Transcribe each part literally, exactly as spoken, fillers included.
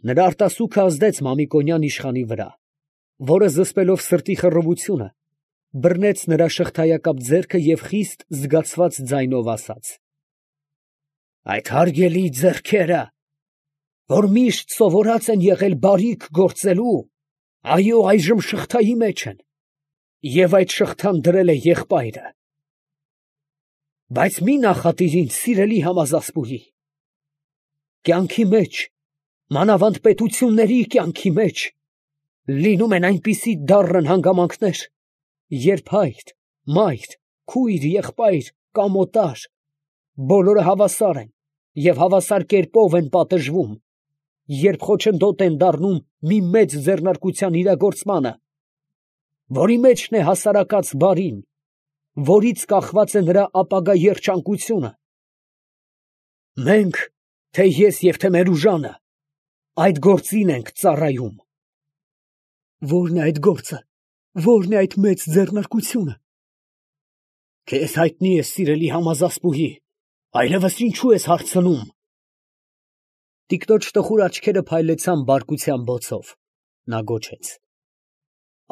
Նրա արտասուքը ազդեց Մամիկոնյան իշխանի վրա, որը զսպելով սրտի խռովությունը, բռնեց նրա շղթայակապ ձեռքը և խիստ զգացված ձայնով ասաց. «Այդ հարգելի ձեռքերը, որ միշտ սովորած են եղել բարիք գործելու, այո, այժմ շղթայի մեջ են, և այդ շղթան դրել է եղբայրը. բայց մի նախատիր ինձ, սիրելի համազասպուհի, կյանքի մեջ, մանավանդ պետությունների կյանքի մեջ, լինում են այնպիսի դառն հանգամանքներ, երբ հայր, մայր, քույր, եղբայր կամ օտար, բոլորը հավասար են և հավասար կերպով են պատժվում, երբ խոչընդոտ են դառնում մի մեծ ձեռնարկության իրագործմանը, որի մեջն է հասարակած բարին, որից կախված է նրա ապագա երջանկությունը. մենք, թե ես և թե մեր ուժանը, այդ գործին ենք ծառայում»։ Ո՞րն է այդ գործը, ո՞րն է այդ մեծ ձեռնարկությունը։ Քեզ հայտնի է, սիրելի համազասպուհի, այլևս ինչու ես հարցնում։ Տիկնոջ տխուր աչքերը փայլեցան բարկության բոցով, նա գոչեց.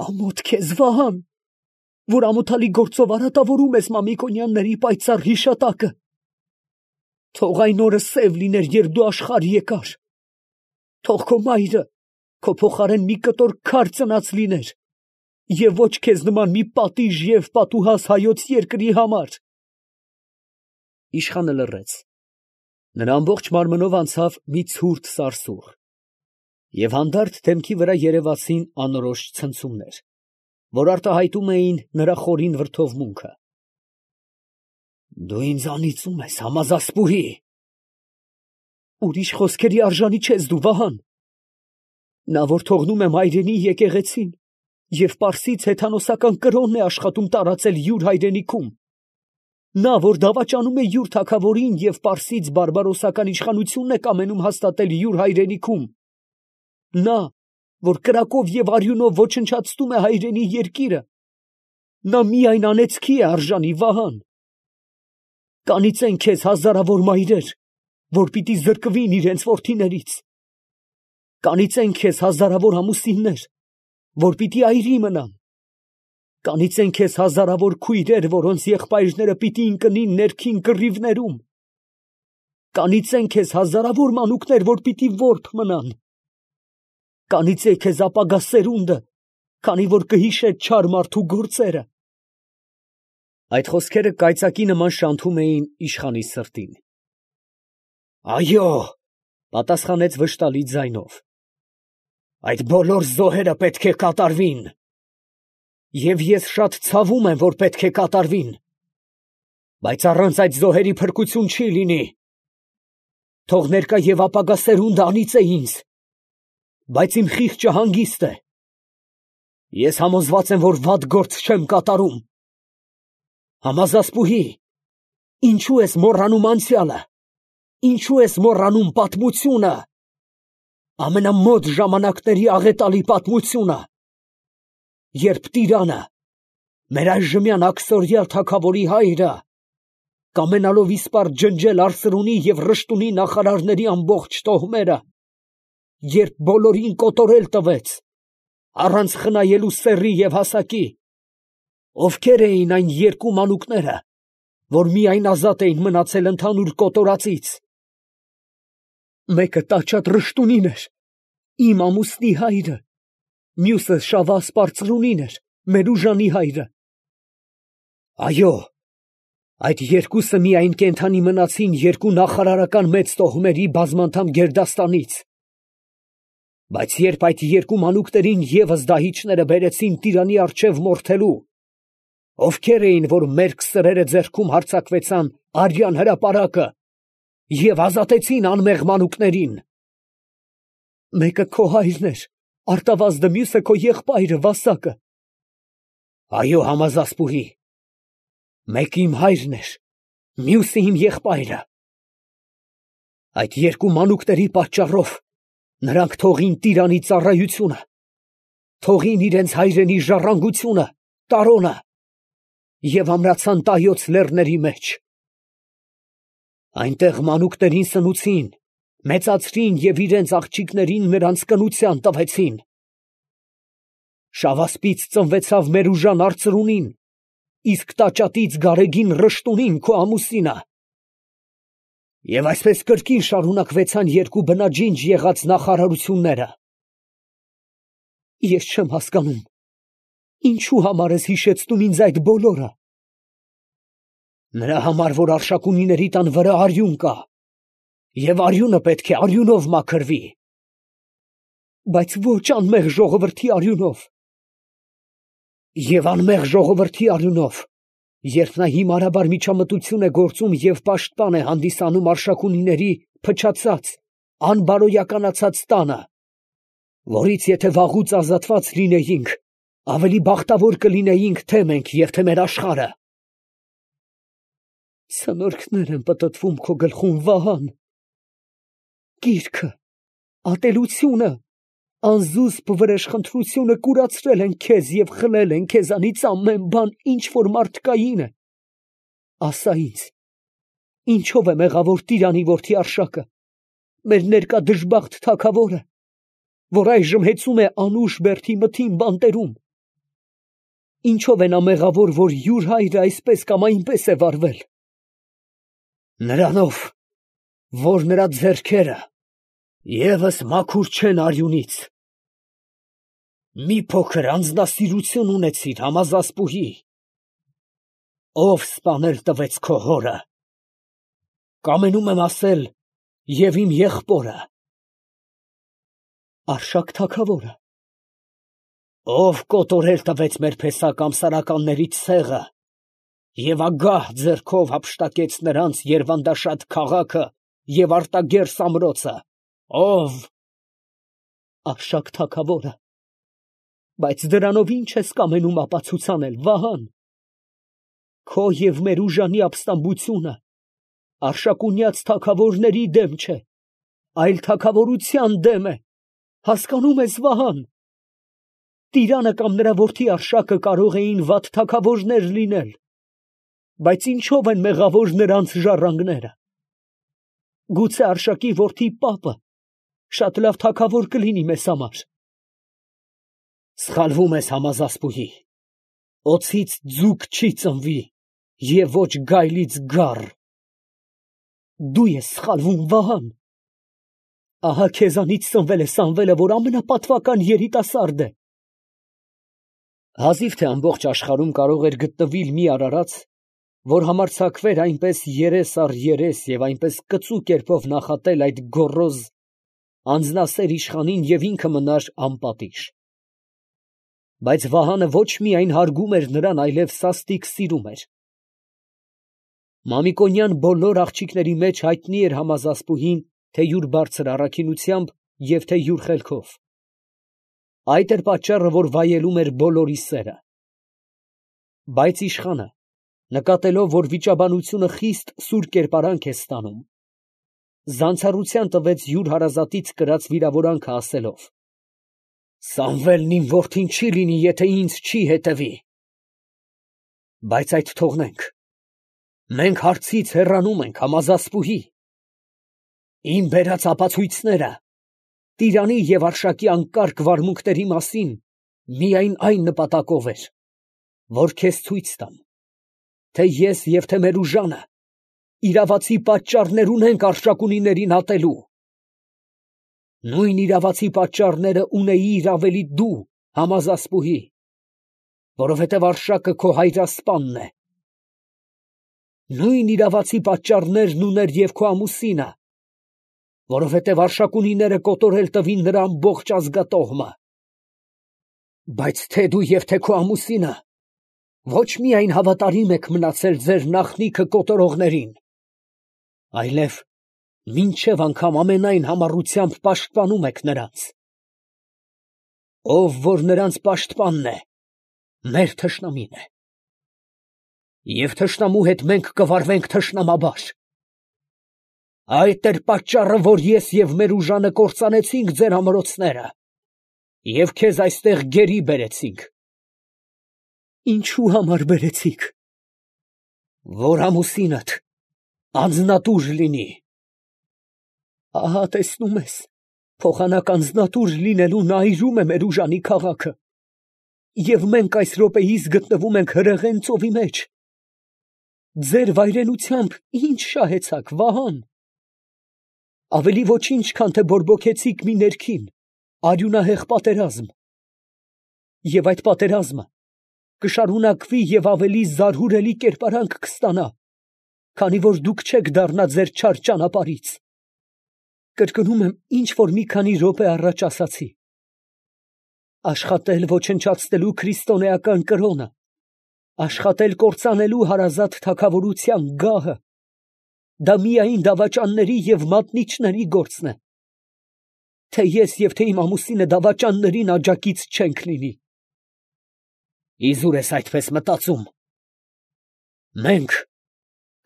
Ամոթ քեզ, Վահան, որ ամոթալի գործով արատավորում ես Մամիկոնյանների պայծառ հիշատակը։ Թող այն օրը սև լիներ, երբ դու աշխարհ եկար. թող քո մայրը քո փոխարեն մի կտոր քար ծնած լիներ, և ոչ քեզ նման մի պատիժ և պատուհաս հայոց երկրի համար։ Իշխանը լռեց. նրա ամբողջ մարմնով անցավ մի ցուրտ սարսուռ, և հանդարտ դեմքի վրա երևացին անորոշ ցնցումներ, որ արտահայտում էին նրա խորին վրդովմունքը։ Դու ինձանից ո՞ւմ ես, համազասպուհի։ Ուրիշ խոսքերի արժանի չես դու, Վահան։ Նա, որ թողնում է մայրենի եկեղեցին և պարսից հեթանոսական կրոնն է աշխատում տարածել յուր հայրենիքում, նա, որ դավաճանում է յուր թագավորին և պարսից բարբարոսական իշխանությունն է կամենում հաստատել յուր հայրենիքում, նա, որ կրակով և արյունով ոչնչացնում է հայրենի երկիրը, նա միայն անեծքի է արժանի, Վահան։ Կանիծեն քեզ հազարավոր մայրեր, որ պիտի զրկվին իրենց որդիներից. կանիծեն քեզ հազարավոր ամուսիններ, որ պիտի այրի մնան. կանիծեն քեզ հազարավոր քույրեր, որոնց եղբայրները պիտի ընկնին ներքին կռիվներում. կանիծեն քեզ հազարավոր մանուկներ, որ պիտի որբ մնան. կանիծե քեզ ապագա սերունդը, քանի որ կհիշե չար մարդու գործերը։ Այդ խոսքերը կայծակի նման շանթում էին իշխանի սրտին։ Այո, պատասխանեց վշտալի ձայնով, այդ բոլոր զոհերը պետք է կատարվին, և ես շատ ցավում եմ, որ պետք է կատարվին, բայց առանց այդ զոհերի փրկություն չի լինի։ Թող ներկա և ապագա սերունդը անիծե ինձ, բայց իմ խիղճը հանգիստ է։ Ես համոզված եմ, որ վատ գործ չեմ կատարում։ Համազասպուհի, ինչու ես մոռանում անցյալը, ինչու ես մոռանում պատմությունը, ամենամոտ ժամանակների աղետալի պատմությունը, երբ տիրանը, մեր այժմյան աքսորյալ թագավորի հայրը, կամենալով իսպառ ջնջել Արսրունի և Ռշտունի նախարարների ամբողջ տոհմերը, երբ բոլորին կոտորել տվեց, առանց խնայելու սեռի և հասակի, ովքեր էին այն երկու մանուկները, որ միայն ազատ էին մնացել ընդհանուր կոտորածից։ Մեկը տաճատ Ռշտունին էր, իմ ամուսնի հայրը, մյուսը Շավա Սպարծրունին էր, մեր ուժանի հայրը։ Այո, այդ երկուսը միայն կենդանի մնացին երկու նախարարական մեծ տոհմերի բազմանդամ գերդաստանից, բայց երբ այդ երկու մանուկներին ևս դահիճները բերեցին տիրանի առջև մորթելու, ովքեր էին, որ մերկ սրերը ձեռքում հարձակվեցան արյան հրապարակը և ազատեցին անմեղ մանուկներին։ Մեկը քո հայրն էր, արտավազդը, մյուսը քո եղբայրը Վասակը։ Այո, համազասպուհի, մեկը իմ հայրն էր, մյուսը իմ եղբայրը։ Այդ երկու մանուկների պատճառով նրանք թողին տիրանի ծառայությունը, թողին իրենց հայրենի ժառանգությունը, տարոնը և ամրացան Տայոց լեռների մեջ։ Այնտեղ մանուկներին սնուցին մեծացրին և իրենց աղջիկներին նրանց կնության տվեցին։ Շավասպից ծնվեցավ մեր ուժան արծրունին, իսկ տաճատից գարեգին Ռշտունին, քո ամուսինը։ Եվ այսպես կրկին շարունակվեցան երկու բնաջինջ եղած նախարարությունները։ Ես չեմ հասկանում, ինչու համար ես հիշեցնում ինձ այդ բոլորը։ Նրա համար, որ Արշակունիների տան վրա արյուն կա, և արյունը պետք է արյունով մաքրվի։ Բայց ոչ անմեղ ժողովրդի արյունով։ Եվ անմեղ ժողովրդի արյունով, երբ նա հիմարաբար միջամտություն է գործում և պաշտպան է հանդիսանում Արշակունիների փչացած, անբարոյականացած տանը, որից եթե վաղուց ազատված լինեինք, ավելի բախտավոր կլինեինք թե մենք և թե մեր աշխարհը։ Ցնորքներ են պտտվում քո գլխում, Վահան։ Գիրքը, ատելությունը, անզուսպ վրեժխնդրությունը կուրացրել են քեզ և խլել են քեզանից ամեն բան, ինչ որ մարդկային է։ Ասա ինձ, ինչո՞վ է մեղավոր տիրանի որդի Արշակը, մեր ներկա դժբախտ թագավորը, որ այժմ հեծում է անուշ բերդի մթին բանտերում։ Ինչո՞վ է նա մեղավոր, որ յուր հայրը այսպես կամ այնպես է վարվել։ Նրանով, որ նրա ձեռքերը ևս մաքուր չեն արյունից։ Մի փոքր անձնասիրություն ունեցիր համազասպուհի, ով սպանել տվեց քո հորը։ Կամենում եմ ասել, և իմ եղբորը։ Արշակ թագավորը։ Ով կոտորել տվեց մեր փեսակ ամսարականներից ցեղը և ագահ ձեռքով հափշտակեց նրանց երվանդաշատ քաղաքը և արտագերս ամրոցը։ Ով։ Արշակ թագավորը։ Բայց դրանով ի՞նչ ես կամենում ապացուցանել, Վահան։ Քո և մեր ուժանի ապստամբությունը արշակունյաց թագավորների դեմ չէ, այլ թագավորության դեմ է, հասկանո՞ւմ ես, Վահան։ Տիրանը կամ նրա որդի Արշակը կարող էին վատ թագավորներ լինել, բայց ինչո՞վ են մեղավոր նրանց ժառանգները։ Գուցե Արշակի որդի պապը շատ լավ թագավոր կլինի մեզ համար։ Սխալվում ես, համազասպուհի, օձից ձուկ չի ծնվի և ոչ գայլից գառ։ Դու ես սխալվում, Վահան։ Ահա քեզանից ծնվել է Սամվելը, որ ամենապատվական երիտասարդ է։ Հազիվ թե ամբողջ աշխարհում կարող էր գտնվել մի արարած, որ համարձակվեր այնպես երես առ երես և այնպես կծու կերպով նախատել այդ գոռոզ անձնասեր իշխանին և ինքը մնար անպատիժ։ Բայց Վահանը ոչ միայն հարգում էր նրան, այլև սաստիկ սիրում էր։ Մամիկոնյան բոլոր աղջիկների մեջ հայտնի էր համազասպուհին թե յուր բարձր առաքինությամբ և թե յուր խելքով։ Այդ էր պատճառը, որ վայելում էր բոլորի սերը։ Բայց իշխանը, նկատելով, որ վիճաբանությունը խիստ սուր կերպարանք է ստանում, զանցառության տվեց յուր հարազատից կրած վիրավորանքը ասելով. «Սամվելն իմ որդին չի լինի, եթե ինձ չի հետևի։ Բայց այդ թողնենք, մենք հարցից հեռանում ենք, համազասպուհի։ Իմ բերած ապացույցները Տիրանի և Արշակի անկարգ վարմունքների մասին միայն այն նպատակով էր, որ քեզ ցույց տամ, թե ես և թե մեր ուժանը իրավացի պատճառներ ունենք Արշակունիներին ատելու։ Նույն իրավացի պատճառները ունեիր ավելի դու, համազասպուհի, որովհետև Արշակը քո հայրասպանն է։ Նույն իրավացի պատճառներն ուներ և քո ամուսինը, որովհետև Արշակունիները կոտորել տվին նրա ամբողջ ազգատոհմը։ Բայց թե դու և թե քո ամուսինը ոչ միայն հավատարիմ եք մնացել ձեր նախնիքը կոտորողներին, այլև մինչև անգամ ամենայն համառությամբ պաշտպանում եք նրանց։ Ով որ նրանց պաշտպանն է, մեր թշնամին է։ Եվ թշնամու հետ մենք կվարվենք թշնամաբար։ Այդ էր պատճառը, որ ես և մեր ուժանը կործանեցինք ձեր ամրոցները և քեզ այստեղ գերի բերեցինք։ Ինչու համար բերեցիք։ Որ ամուսինդ անձնատուր լինի։ Ահա տեսնում ես, փոխանակ անձնատուր լինելու նա այրում է մեր ուժանի քաղաքը, և մենք այս րոպեիս գտնվում ենք հրեղեն ծովի մեջ։ Ձեր վայրենությամբ ինչ շահեցաք, Վահան. ավելի ոչինչ, քան թե բորբոքեցիք մի ներքին, արյունահեղ պատերազմ, և այդ պատերազմը կշարունակվի և ավելի զարհուրելի կերպարանք կստանա, քանի որ դուք չեք դառնա ձեր չար ճանապարհից։ Կրկնում եմ, ինչ որ մի քանի րոպե առաջ ասացի. աշխատել ոչնչացնելու քրիստոնեական կրոնը, աշխատել կործանելու հարազատ թագավորության գահը, դա միայն դավաճանների և մատնիչների գործն է, թե ես և թե իմ ամուսինը դավաճաններին աջակից չենք լինի։ Իզուր ես այդպես մտածում։ Մենք,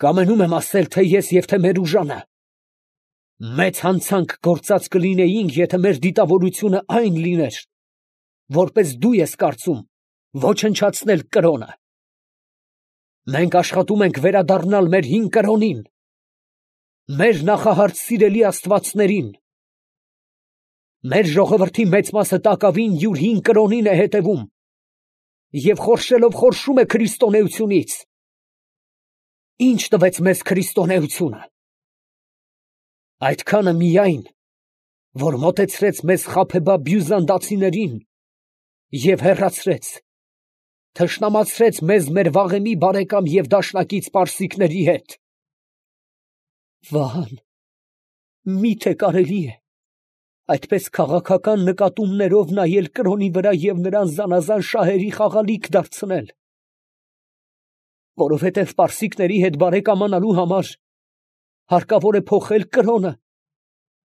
կամենում եմ ասել, թե ես և թե մեր ուժանը, մեծ հանցանք գործած կլինեինք, եթե մեր դիտավորությունը այն լիներ, որպես դու ես կարծում, ոչնչացնել կրոնը։ Մենք աշխատում ենք վերադառնալ մեր հին կրոնին, մեր նախահարց սիրելի աստվածներին։ Մեր ժողովրդի մեծ մասը տակավին յուր հին կրոնին է հետևում և խորշելով խորշում է քրիստոնեությունից։ Ինչ տվեց մեզ քրիստոնեությունը։ Այդքանը միայն, որ մոտեցրեց մեզ խաբեբա բյուզանդացիներին և հեռացրեց, թշնամացրեց մեզ մեր վաղեմի բարեկամ և դաշնակից պարսիկների հետ։ Վահան, մի՞թե կարելի է այդպես քաղաքական նկատումներով նայել կրոնի վրա և նրան զանազան շահերի խաղալիք դարձնել։ Որովհետև պարսիկների հետ բարեկամանալու համար հարկավոր է փոխել կրոնը,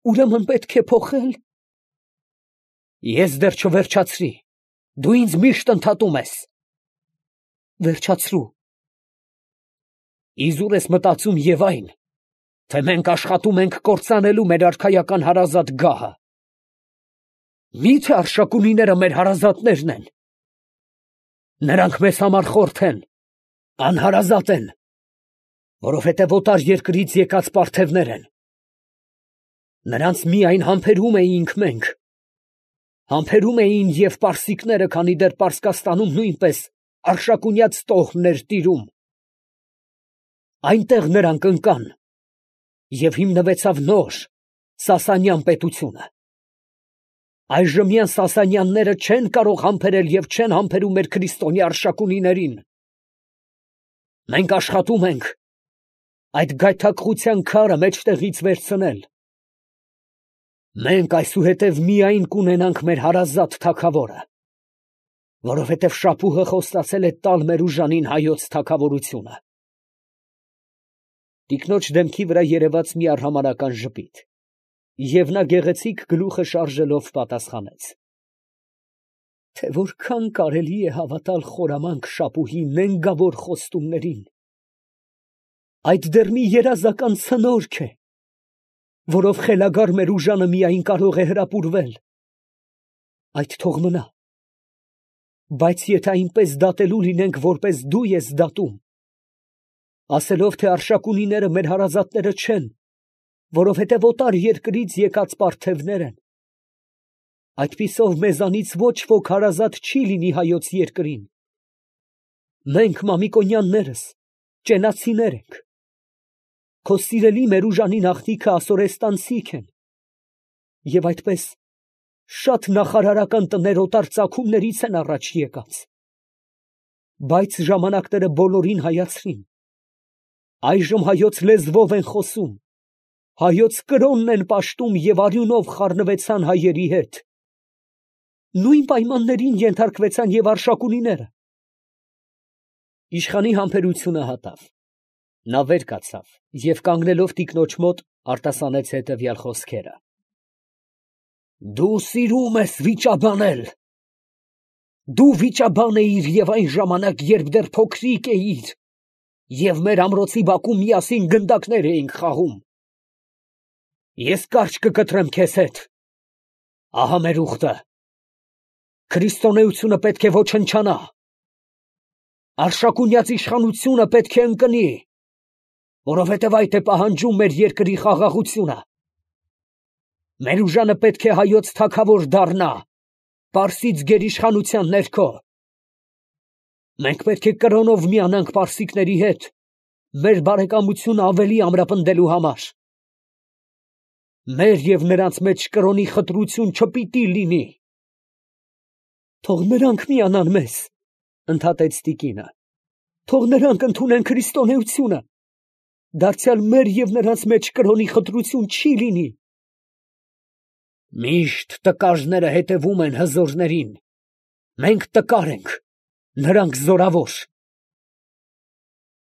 ուրեմն պետք է փոխել։ Ես դեռ չվերջացրի, դու ինձ միշտ ընդհատում ես։ Վերջացրու։ Իզուր ես մտածում և այն, թե մենք աշխատում ենք կործանելու մեր արքայական հարազատ գահը։ Մի՞թե Արշակունիները մեր հարազատներն են։ Նրանք մեզ համար խորթ են, անհարազատ են, որովհետև օտար երկրից եկած պարթևներ են։ Նրանց միայն համբերում էինք մենք, համբերում էին և պարսիկները, քանի դեռ Պարսկաստանում նույնպես արշակունյաց տոհմն էր տիրում։ Այնտեղ նրանք ընկան, և հիմնվեցավ նոր Սասանյան պետությունը։ Այժմյան Սասանյանները չեն կարող համբերել և չեն համբերում մեր քրիստոնյա Արշակունիներին։ Մենք աշխատում ենք այդ գայթակղության քարը մեջտեղից վերցնել։ Մենք այսուհետև միայն կունենանք մեր հարազատ թագավորը, որովհետև շապուհը խոստացել է տալ մեր ուժանին հայոց թագավորությունը։ Տիկնոջ դեմքի վրա երևաց մի արհամարհական ժպիտ, և նա գեղեցիկ գլուխը շարժելով պատասխանեց. Թե որքան կարելի է հավատալ խորամանկ շապուհի նենգավոր խոստումներին։ Այդ դեռ մի երազական ցնորք է, որով խելագար մեր ուժանը միայն կարող է հրապուրվել։ Այդ թող մնա, բայց եթե այնպես դատելու լինենք, որպես դու ես դատում, ասելով, թե Արշակունիները մեր հարազատները չեն, որովհետև օտար երկրից եկած պարթևներ են, այդպիսով մեզանից ոչ ոք հարազատ չի լինի հայոց երկրին։ Մենք Մամիկոնյաններս ճենացիներ ենք։ Քո սիրելի մեր ուժանի աղջիկը ասորեստանցիք են, և այդպես շատ նախարարական տներ օտար ծագումներից են առաջ եկած։ Բայց ժամանակները բոլորին հայացրին։ Այժմ հայոց լեզվով են խոսում, հայոց կրոնն են պաշտում և արյունով խառնվեցան հայերի հետ։ Նույն պայմաններին ենթարկվեցան և Արշակունիները։ Իշխանի համբերությունը հատավ։ Նա վեր կացավ և կանգնելով տիկնոջ մոտ արտասանեց հետևյալ խոսքերը. Դու սիրում ես վիճաբանել։ Դու վիճաբան էիր և այն ժամանակ, երբ դեռ փոքրիկ էիր, և մեր ամրոցի բակում միասին գնդակներ էինք խաղում։ Ես կարճ կկտրեմ քեզ հետ։ Ահա մեր ուխտը։ Քրիստոնեությունը պետք է ոչնչանա։ Արշակունյաց իշխանությունը պետք է ընկնի, որովհետև այդ է պահանջում մեր երկրի խաղաղությունը։ Մեր ուժանը պետք է հայոց թագավոր դառնա, Պարսից գերիշխանության ներքո։ Մենք պետք է կրոնով միանանք պարսիկների հետ, մեր բարեկամությունը ավելի ամրապնդելու համար։ Մեր և նրանց մեջ կրոնի խտրություն չպիտի լինի։ Թող նրանք միանան մեզ, ընդհատեց տիկինը։ Թող նրանք ընդունեն քրիստոնեությունը։ Դարձյալ մեր և նրանց մեջ կրոնի խտրություն չի լինի։ Միշտ տկարները հետևում են հզորներին։ Մենք տկար ենք, նրանք զորավոր։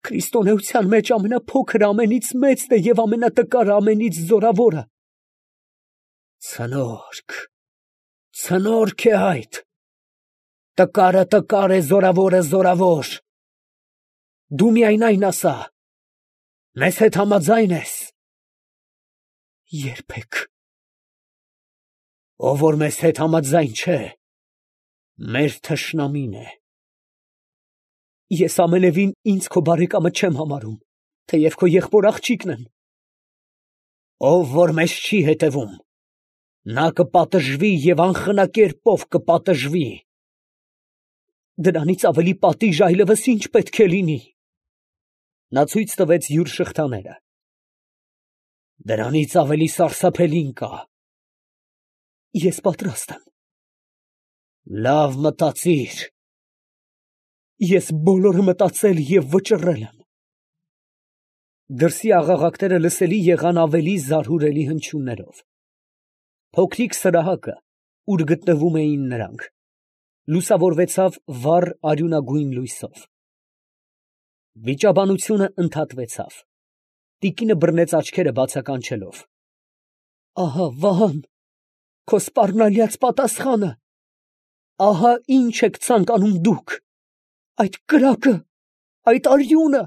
Քրիստոնեության մեջ ամենափոքր ամենից մեծն է և ամենատկար ամենից զորավորը։ Ցնորք, ցնորք է այդ։ Տկարը տկար է, զորավորը զորավոր։ Դու միայն այն ասա, մեզ հետ համաձայն ես։ Երբեք։ Ով որ մեզ հետ համաձայն չէ, մեր թշնամին է։ Ես ամենևին ինձ քո բարեկամը չեմ համարում, թեև քո եղբոր աղջիկն եմ։ Ով որ մեզ չի հետևում, նա կպատժվի և անխնակերպով կպատժվի։ Դրանից ավելի պատիժ այլևս ինչ պետք է լինի։ Նա ցույց տվեց յուր շղթաները։ Դրանից ավելի սարսափելին կա։ Ես պատրաստ եմ։ Լավ մտածիր։ Ես բոլորը մտածել և վճռել եմ։ Դրսի աղաղակները լսելի եղան ավելի զարհուրելի հնչյուններով։ Փոքրիկ սրահակը, ուր գտնվում էին նրանք, լուսավորվեցավ վառ արյունագույն լույսով։ Վիճաբանությունը ընդհատվեցավ։ Տիկինը բռնեց աչքերը բացականչելով։ Ահա, Վահան, քո սպառնալյաց պատասխանը։ Ահա ինչ եք ցանկանում դուք։ Այդ կրակը, այդ արյունը։